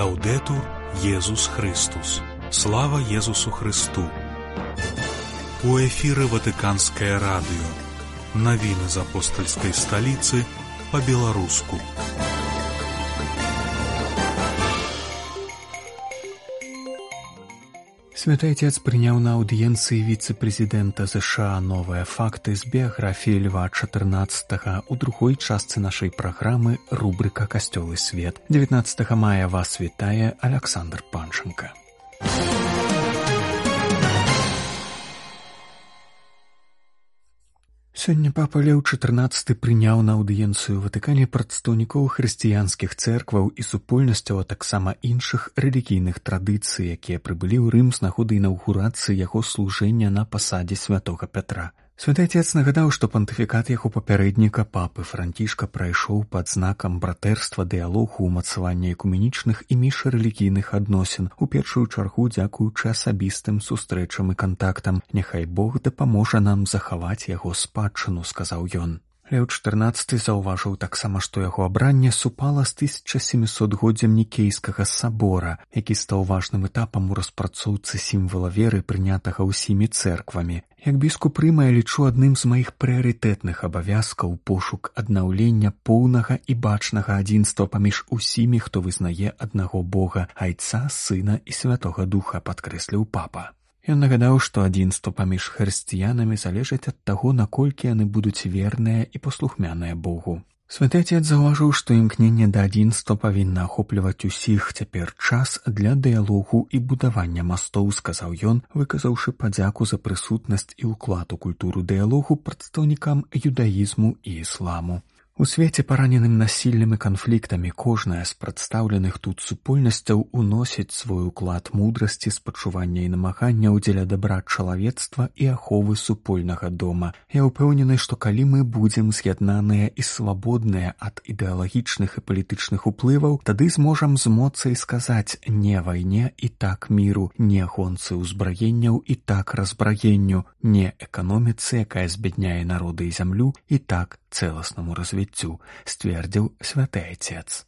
Лаўдэтур Езус Христус. Слава Езусу Христу. У эфіры Ватыканскае радыё. Навіны з апостальскай сталіцы па-беларуску. Святы Отец прыняў на аўдыенцыі віцэ-прэзідэнта США новыя факты з біяграфіі Льва XIV у другой частцы нашай праграмы рубрыка «Касцёл і свет». 19 мая вас вітае Аляксандр Панченка. Сёння папа Леў XIV прыняў на аўдыенцыю ў Ватыкане прадстаўнікоў хрысціянскіх цэркваў і супольнасцяў, а таксама іншых рэлігійных традыцый, якія прыбылі ў Рым з нагоды інаўгурацыі яго служэння на пасадзе святога Пятра. Святы Отец нагадаў, што пантыфікат яго папярэдніка папы Францішка прайшоў пад знакам братэрства, дыялогу, умацавання экуменічных і міжрэлігійных адносін, у першую чаргу дзякуючы асабістым сустрэчам і кантактам. Няхай Бог дапаможа нам захаваць яго спадчыну, сказаў ён. Леў XIV заўважыў таксама, што яго абранне супала з 1700годдзям Нікейскага сабора, які стаў важным этапам у распрацоўцы сімвала веры, прынятага ўсімі цэрквамі. Як біскуп Рыма я лічу адным з маіх прыярытэтных абавязкаў пошук аднаўлення поўнага і бачнага адзінства паміж усімі, хто вызнае аднаго Бога, Айца, Сына і Святога Духа, падкрэсліў папа. Ён нагадаў, што адзінства паміж хрысціянамі залежыць ад таго, наколькі яны будуць верныя і паслухмяныя Богу. Святы Отец заўважыў, што імкненне да адзінства павінна ахопліваць усіх. Цяпер час для дыялогу і будавання мастоў, сказаў ён, выказаўшы падзяку за прысутнасць і ўклад у культуру дыялогу прадстаўнікам юдаізму і ісламу. У свеце, параненым насіллем і канфліктамі, кожная з прадстаўленых тут супольнасцяў уносіць свой уклад мудрасці, спачування і намагання дзеля дабра чалавецтва і аховы супольнага дома. Я ўпэўнены, што калі мы будзем з'яднаныя і свабодныя ад ідэалагічных і палітычных уплываў, тады зможам з моцай сказаць «не вайне» і «так міру», «не гонцы ўзбраенняў» і «так разбраенню», «не эканоміцы», якая збядняе народы і зямлю» і «так цэласнаму развіццю», сцвердзіў Святы Отец.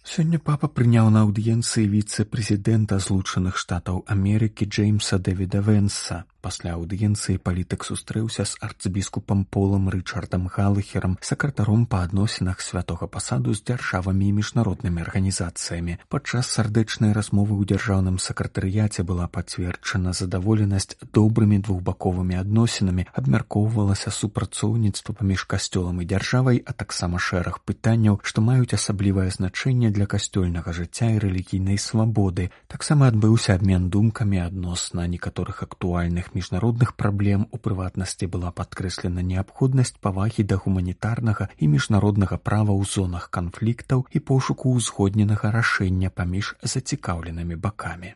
Сёння папа прыняў на аўдыенцыі віцэ-прэзідэнта Злучаных Штатаў Амерыкі Джеймса Дэвіда Вэнса. Пасля аўдыенцыі палітык сустрэўся з арцыбіскупам Полам Рычардам Галахерам, сакратаром па адносінах святога пасаду з дзяржавамі і міжнароднымі арганізацыямі. Падчас сардэчнай размовы ў дзяржаўным сакратарыяце была пацверджана задаволенасць добрымі двухбаковымі адносінамі, абмяркоўвалася супрацоўніцтва паміж касцёлам і дзяржавай, а таксама шэраг пытанняў, што маюць асаблівае значэнне для касцёльнага жыцця і рэлігійнай свабоды. Таксама адбыўся абмен думкамі адносна некаторых актуальных міжнародных праблем. У прыватнасці была падкрэслена неабходнасць павагі да гуманітарнага і міжнароднага права ў зонах канфліктаў і пошуку ўзгодненага рашэння паміж зацікаўленымі бакамі.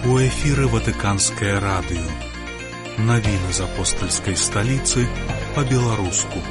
У эфіры Ватыканскае радыё. Навіны з апостальскай сталіцы па-беларуску.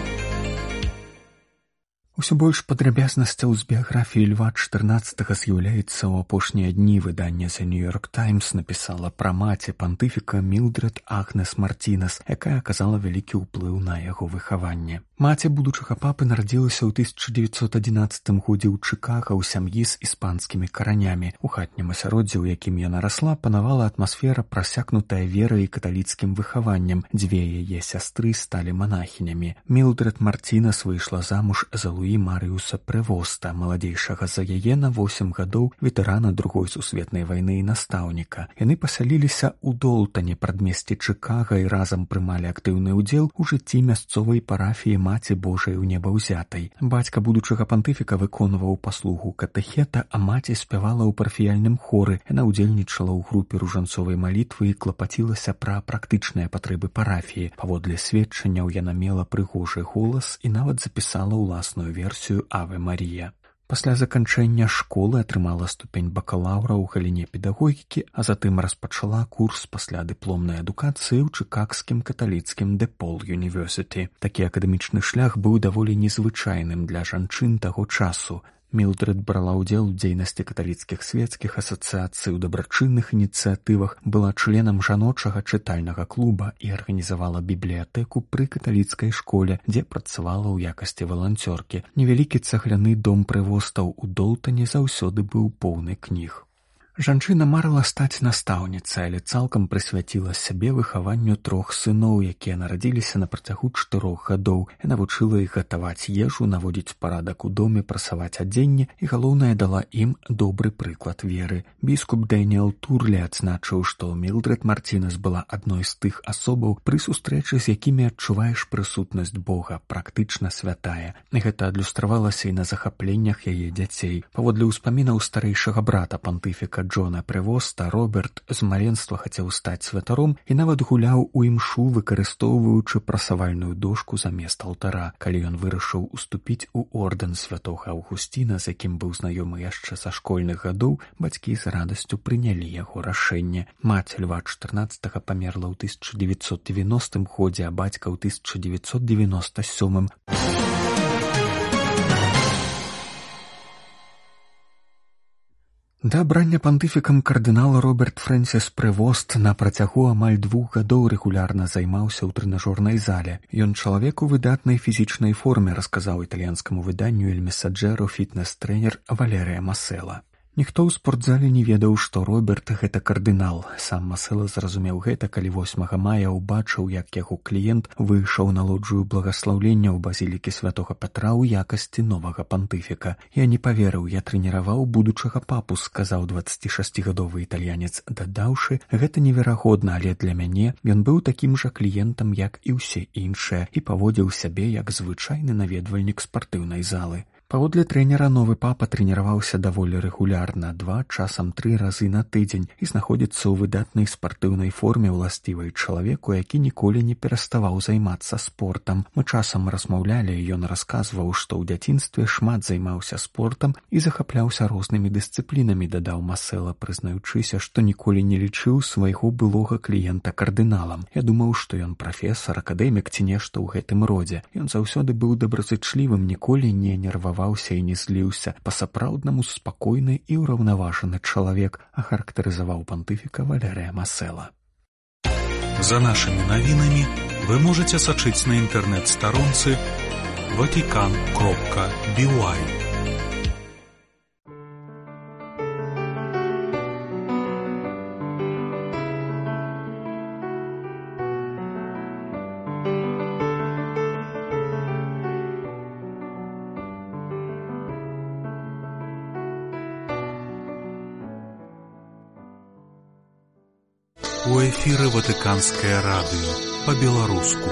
Усё больш падрабязнасцяў з біяграфіі Льва XIV з'яўляецца ў апошнія дні. Выданне The New York Times напісала пра маці пантыфіка Мілдред Агнес Мартінес, якая аказала вялікі ўплыў на яго выхаванне. Маці будучага папы нарадзілася ў 1911 годзе ў Чыкага ў сям'і з іспанскімі каранямі. У хатнім асяроддзі, у якім яна расла, панавала атмасфера, прасякнутая верай і каталіцкім выхаваннем. Дзве яе сястры сталі манахінямі. Мілдред Мартінес выйшла замуж за Луі Марыуса Прэвоста, маладзейшага за яе на 8 гадоў, ветэрана Другой сусветнай вайны і настаўніка. Яны пасяліліся ў Долтане, прадмесці Чыкага, і разам прымалі актыўны ўдзел у жыцці мясцовай парафіі Маці Божай у Небаўзятай. Бацька будучага пантыфіка выконваў паслугу катэхета, а маці спявала ў парафіяльным хоры. Яна ўдзельнічала ў групе ружанцовай малітвы і клапацілася пра практычныя патрэбы парафіі. Паводле сведчанняў яна мела прыгожы голас і нават запісала ўласную версію «Аве Марія». Пасля заканчэння школы атрымала ступень бакалаўра ў галіне педагогікі, а затым распачала курс паслядыпломнай адукацыі ў чыкагскім каталіцкім ДеПол Юніверсіті. Такі акадэмічны шлях быў даволі незвычайным для жанчын таго часу. Мілдред брала ўдзел у дзейнасці каталіцкіх свецкіх асацыяцый, у дабрачынных ініцыятывах, была членам жаночага чытальнага клуба і арганізавала бібліятэку пры каталіцкай школе, дзе працавала ў якасці валанцёркі. Невялікі цагляны дом прывостаў у Долтане заўсёды быў поўны кніг. Жанчына марыла стаць настаўніцай, але цалкам прысвяціла сябе выхаванню 3 сыноў, якія нарадзіліся на працягу 4 гадоў. Яна вучыла іх гатаваць ежу, наводзіць парадак у доме, прасаваць адзенне і, галоўнае, дала ім добры прыклад веры. Біскуп Дэніэл Турлі адзначыў, што Мілдред Мартінес была адной з тых асобаў, пры сустрэчы з якімі адчуваеш прысутнасць Бога, практычна святая. Гэта адлюстравалася і на захапленнях яе дзяцей. Паводле ўспамінаў старэйшага брата пантыфіка Джона Превоста, Роберт з маленства хацеў стаць святаром і нават гуляў у імшу, выкарыстоўваючы прасавальную дошку замест алтара. Калі ён вырашыў уступіць у ордэн святога Аўгусціна, з якім быў знаёмы яшчэ са школьных гадоў, бацькі з радасцю прынялі яго рашэнне. Маці Льва XIV памерла ў 1990 годзе, а бацька ў 1997. Да абрання пантыфікам кардынал Роберт Фрэнсіс Превост на працягу амаль 2 гадоў рэгулярна займаўся ў трэнажорнай зале. Ён чалавек у выдатнай фізічнай форме, расказаў італьянскаму выданню «Эль Месаджеро» фітнес-трэнер Валерыя Масела. Ніхто ў спортзале не ведаў, што Роберт — гэта кардынал. Сам Масела зразумеў гэта, калі 8 мая ўбачыў, як яго кліент выйшаў на лоджыю благаслаўлення ў базілікі святога Пятра ў якасці новага пантыфіка. «Я не паверыў, я трэніраваў будучага папу», — сказаў 26-гадовы італьянец, дадаўшы: «Гэта неверагодна, але для мяне ён быў такім жа кліентам, як і ўсе іншыя, і паводзіў сябе як звычайны наведвальнік спартыўнай залы». Паводле трэнера, новы папа трэніраваўся даволі рэгулярна, 2, часам 3 разы на тыдзень, і знаходзіцца ў выдатнай спартыўнай форме, уласцівай чалавеку, які ніколі не пераставаў займацца спортам. Мы часам размаўлялі, і ён расказваў, што ў дзяцінстве шмат займаўся спортам і захапляўся рознымі дысцыплінамі, дадаў Масела, прызнаючыся, што ніколі не лічыў свайго былога кліента кардыналам. «Я думаў, што ён прафесар, акадэмік ці нешта ў гэтым родзе. Ён заўсёды быў добразычлівым, ніколі не нерваваў і не зліўся, па-сапраўднаму спакойны і ўраўнаважаны чалавек», ахарактарызаваў пантыфіка Валерыя Масела. За нашими навінамі вы можете сачыць на інтэрнэт-старонцы vatican.by. У эфіры Ватыканскае радыё па-беларуску.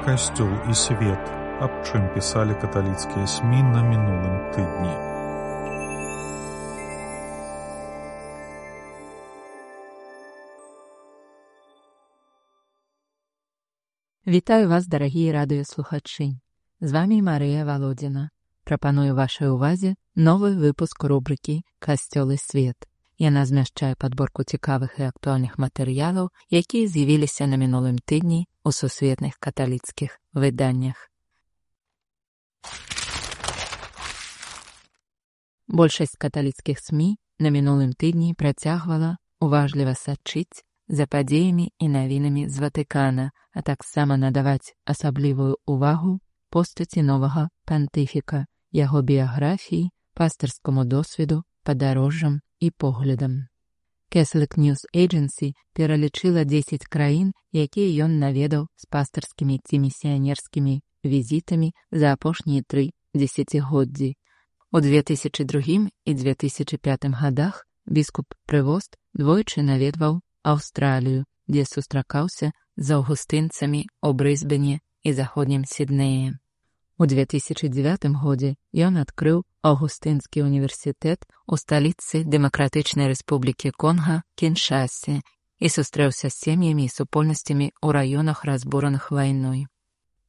Касцёл і свет. Аб чым пісалі каталіцкія СМІ на мінулым тыдні. Вітаю вас, дарагія радыёслухачы. З вамі Марыя Валодзіна. Прапаную вашай увазе новы выпуск рубрыкі «Касцёл і свет». Яна змяшчае падборку цікавых і актуальных матэрыялаў, якія з'явіліся на мінулым тыдні ў сусветных каталіцкіх выданнях. Большасць каталіцкіх СМІ на мінулым тыдні працягвала уважліва сачыць за падзеямі і навінамі з Ватыкана, а таксама надаваць асаблівую ўвагу постаці новага пантыфіка, яго біяграфіі, пастырскаму досведу, падарожжам і поглядам. Catholic News Agency пералічыла 10 краін, якія ён наведаў з пастырскімі ці місіянерскімі візітамі за апошнія 3 дзесяцігоддзі. У 2002 і 2005 годах біскуп Превост двойчы наведваў Аўстралію, дзе сустракаўся з аўгустынцамі ў Брысбене і заходнім Сіднеі. У 2009 годзе ён адкрыў Аўгустынскі універсітэт у сталіцы Дэмакратычнай Рэспублікі Конга, Кіншасе, і сустрэўся з сем'ямі і супольнасцямі ў раёнах, разбураных вайной.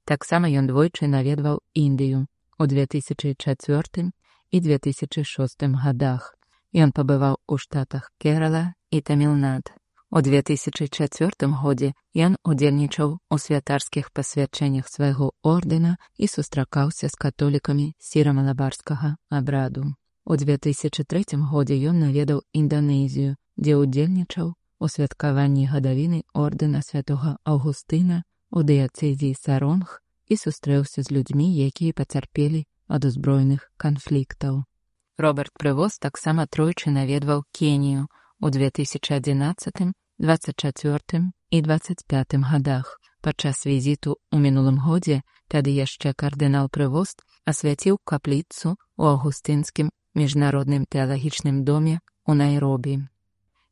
Таксама ён двойчы наведваў Індыю у 2004 і 2006 годах. Ён пабываў у штатах Керала і Тамілнад. У 2004 годзе ён удзельнічаў у святарскіх пасвячэннях свайго ордэна і сустракаўся з католікамі сіра-малабарскага абраду. У 2003 годзе ён наведаў Інданезію, дзе удзельнічаў у святкаванні гадавіны ордэна святога Аўгустына у дыяцэзіі Саронг і сустрэўся з людзьмі, якія пацярпелі ад узброеных канфліктаў. Роберт Прывоз таксама тройчы наведваў Кенію у 2011, 24 і 25 годах. Падчас візіту ў мінулым годзе тады яшчэ кардынал Прывоз асвяціў капліцу ў Аўгустынскім міжнародным тэалагічным доме ў Найробі.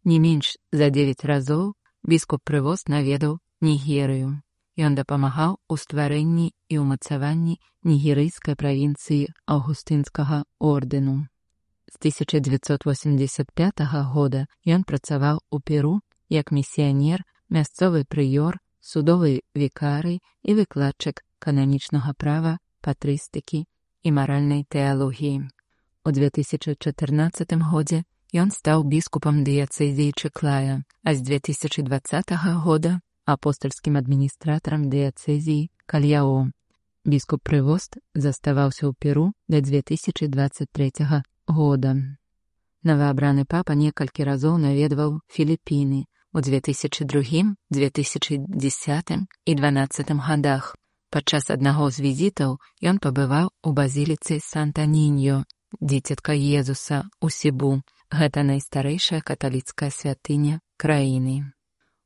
Не менш за 9 разоў біскуп Прывоз наведаў Нігерыю. Ён дапамагаў у стварэнні і ўмацаванні нігерыйскай правінцыі Аўгустынскага ордэну. З 1985 года ён працаваў у Перу як місіянер, мясцовы прыёр, судовы вікарый і выкладчык кананічнага права, патрыстыкі і маральнай тэалогіі. У 2014 годзе ён стаў біскупам дыяцэзіі Чыклая, а з 2020 года апостальскім адміністратарам дыяцэзіі Кальяо. Біскуп Прывоз заставаўся ў Перу да 2023 года. Новаабраны папа некалькі разоў наведваў Філіпіны у 2002, 2010 і 2012 годах. Падчас аднаго з візітаў ён пабываў у базіліцы Санта-Ніньо, дзіцятка Езуса ў Сібу. Гэта найстарэйшая каталіцкая святыня краіны.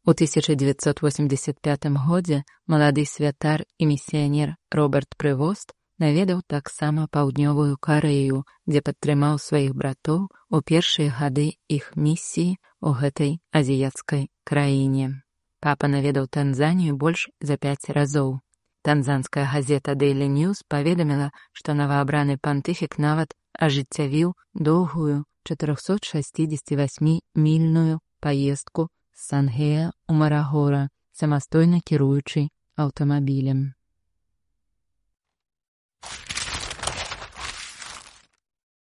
У 1985 годзе малады святар і місіянер Роберт Прывоз наведаў таксама паўднёвую Карэю, дзе падтрымаў сваіх братоў у першыя гады іх місіі ў гэтай азіяцкай краіне. Папа наведаў Танзанію больш за 5 разоў. Танзанская газета Daily News паведаміла, што новаабраны пантыфік нават ажыццявіў доўгую 468-мільную паездку з Сангея ў Марагора, самастойна кіруючы аўтамабілем.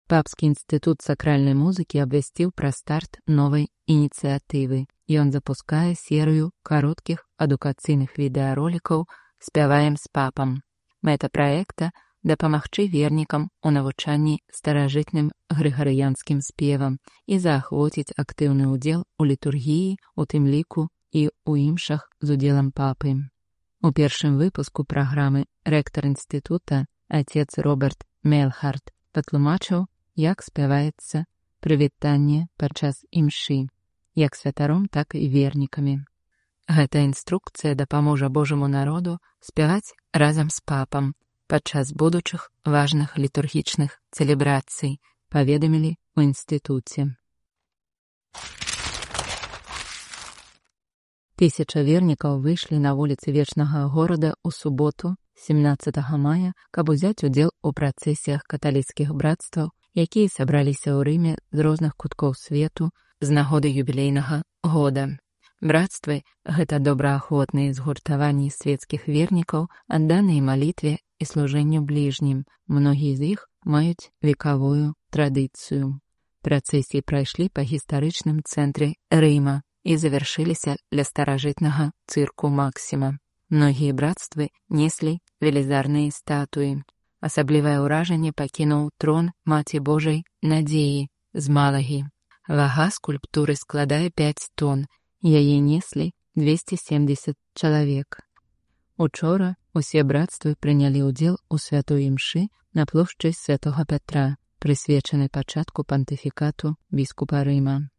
Папскі інстытут сакральнай музыкі абвясціў пра старт новай ініцыятывы. Ён запускае серыю кароткіх адукацыйных відэаролікаў «Спяваем з папам». Мэта праекта – дапамагчы вернікам у навучанні старажытным грыгарыянскім спевам і заахвоціць актыўны ўдзел у літургіі, у тым ліку і ў імшах з удзелам папы. У першым выпуску праграмы рэктар інстытута, отец Роберт Мелхарт, патлумачыў, як спяваецца прывітанне падчас імшы, як святаром, так і вернікамі. Гэта інструкцыя дапаможа Божаму народу спяваць разам з папам падчас будучых важных літургічных цэлебрацый, паведамілі ў інстытуце. 1000 вернікаў выйшлі на вуліцы вечнага горада ў суботу, 17 мая, каб узяць удзел у працэсіях каталіцкіх брацтваў, якія сабраліся ў Рыме з розных куткоў свету з нагоды юбілейнага года. Брацтвы – гэта добраахвотныя згуртаванні свецкіх вернікаў, адданыя малітве і служэнню бліжнім. Многія з іх маюць векавую традыцыю. Працэсіі прайшлі па гістарычным цэнтры Рыма і завяршыліся ля старажытнага цырку Максіма. Многія брацтвы неслі велізарныя статуі. Асаблівае ўражанне пакінуў трон Маці Божай Надзеі з Малагі. Вага скульптуры складае 5 тонн. Яе неслі 270 чалавек. Учора усе брацтвы прынялі ўдзел у святой імшы на плошчы Святога Пятра, прысвечанай пачатку пантыфікату біскупа Рыма.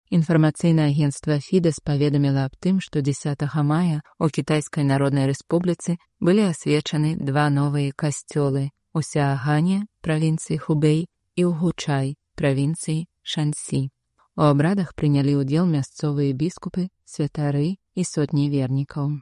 Інфармацыйнае агенцтва Фідэс паведаміла аб тым, што 10 мая у Кітайскай Народнай Рэспубліцы былі асвечаны 2 новыя касцёлы у Сяагане, правінцыі Хубэй, і ў Гучай, правінцыі Шансі. У абрадах прынялі ўдзел мясцовыя біскупы, святары і сотні вернікаў.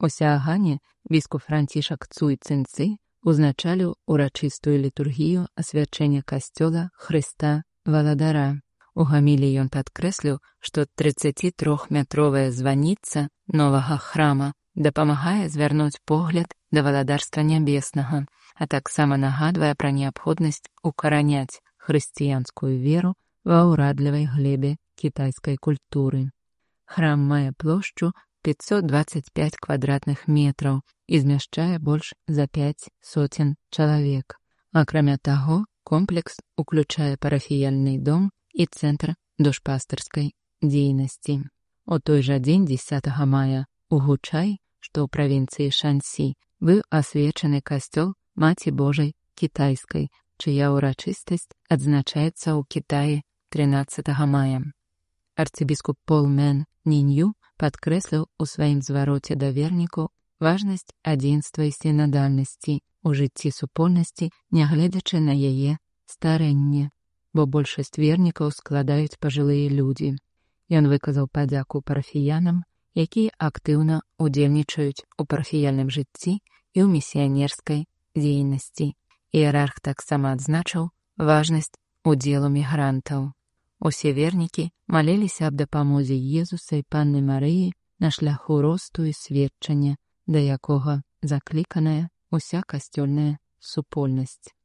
У Сяагане біскуп Францішак Цуй Цинцы узначаліў урачыстую літургію асвячэння касцёла Хрыста Валадара. У гамілі ён падкрэсліў, што 33-метровая званіца новага храма дапамагае звярнуць погляд да валадарства нябеснага, а таксама нагадвае пра неабходнасць укараняць хрысціянскую веру ва ўрадлівай глебе кітайскай культуры. Храм мае плошчу 525 квадратных метраў і змяшчае больш за 500 чалавек. Акрамя таго, комплекс уключае парафіяльны дом і цэнтр душпастырскай дзейнасці. У той жа дзень 10 мая у Гучай, што ў правінцыі Шансі, быў асвечаны касцёл Маці Божай кітайскай, чыя ўрачыстасць адзначаецца ў Кітаі 13 мая. Арцыбіскуп Пол Мэн Нінью падкрэсліў у сваім звароце да вернікаў важнасць адзінства і сінадальнасці ў жыцці супольнасці, нягледзячы на яе старэнне, бо большасць вернікаў складаюць пажылыя людзі. Ён выказаў падзяку парафіянам, якія актыўна ўдзельнічаюць у парафіяльным жыцці і ў місіянерскай дзейнасці. Іерарх таксама адзначыў важнасць удзелу мігрантаў. Усе вернікі маліліся аб дапамозе Езуса і Панны Марыі на шляху росту і сведчання, да якога закліканая уся касцёльная супольнасць.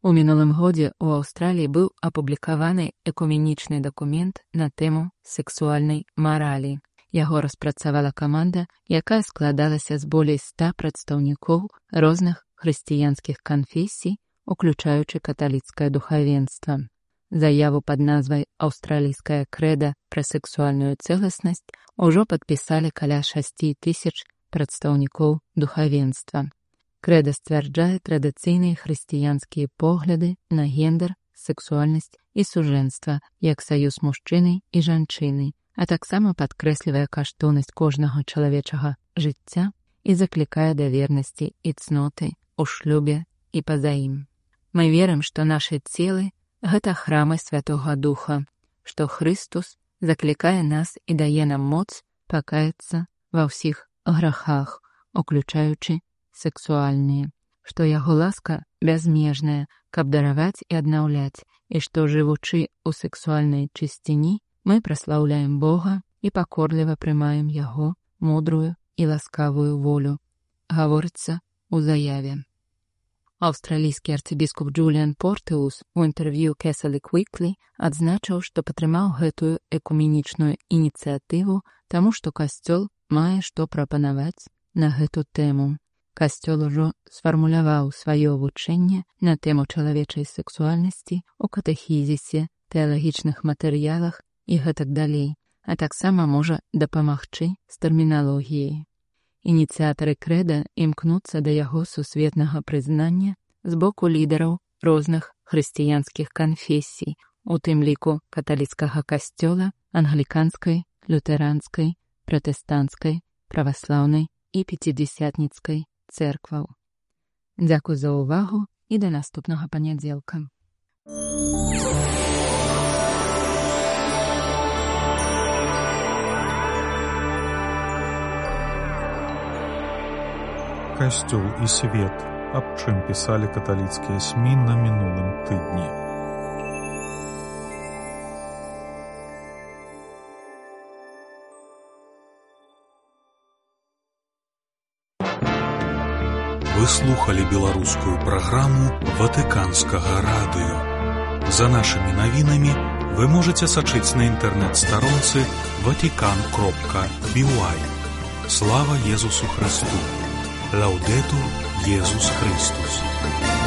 У мінулым годзе ў Аўстраліі быў апублікаваны экуменічны дакумент на тэму сексуальнай маралі. Яго распрацавала каманда, якая складалася з болей 100 прадстаўнікоў розных хрысціянскіх канфесій, уключаючы каталіцкае духавенства. Заяву пад назвай «Аўстралійская крэда пра сексуальную цэласнасць» ужо падпісалі каля 6000 прадстаўнікоў духавенства. Крэда сцвярджае традыцыйныя хрысціянскія погляды на гендер, сексуальнасць і сужэнства як саюз мужчыны і жанчыны, а таксама падкрэслівае каштоўнасць кожнага чалавечага жыцця і заклікае да вернасці і цноты ў шлюбе і па-за ім. Мы верым, што нашы целы – гэта храмы Святога Духа, што Хрыстус заклікае нас і дае нам моц пакаяцца ва ўсіх грахах, уключаючы сексуальныя, што яго ласка бязмежная, каб дараваць і аднаўляць, і што, жывучы ў сексуальнай чысціні, мы праслаўляем Бога і пакорліва прымаем яго мудрую і ласкавую волю, гаворыцца ў заяве. Аўстралійскі арцыбіскуп Джуліан Портыус у інтэрв'ю Catholic Weekly адзначыў, што падтрымаў гэтую экуменічную ініцыятыву, таму што касцёл мае што прапанаваць на гэту тэму. Касцёл ужо сфармуляваў сваё вучэнне на тэму чалавечай сексуальнасці ў катэхізісе, тэалагічных матэрыялах і гэтак далей, а таксама можа дапамагчы з тэрміналогіяй. Ініцыятары крэда імкнуцца да яго сусветнага прызнання з боку лідараў розных хрысціянскіх канфесій, у тым ліку каталіцкага касцёла, англіканскай, лютэранскай, пратэстанцкай, праваслаўнай і пяцідзясятніцкай цэркваў. Дзякуй за ўвагу і да наступнага панядзелка. Касцёл і свет, аб чым пісалі каталіцкія СМІ на мінулым тыдні. Вы слухали беларускую праграму Ватыканскага радыё. За нашымі навінамі вы можаце сачыць на інтэрнэт-старонцы vatican.by. Слава Езусу Христу! Лаудетур Jesús Christus.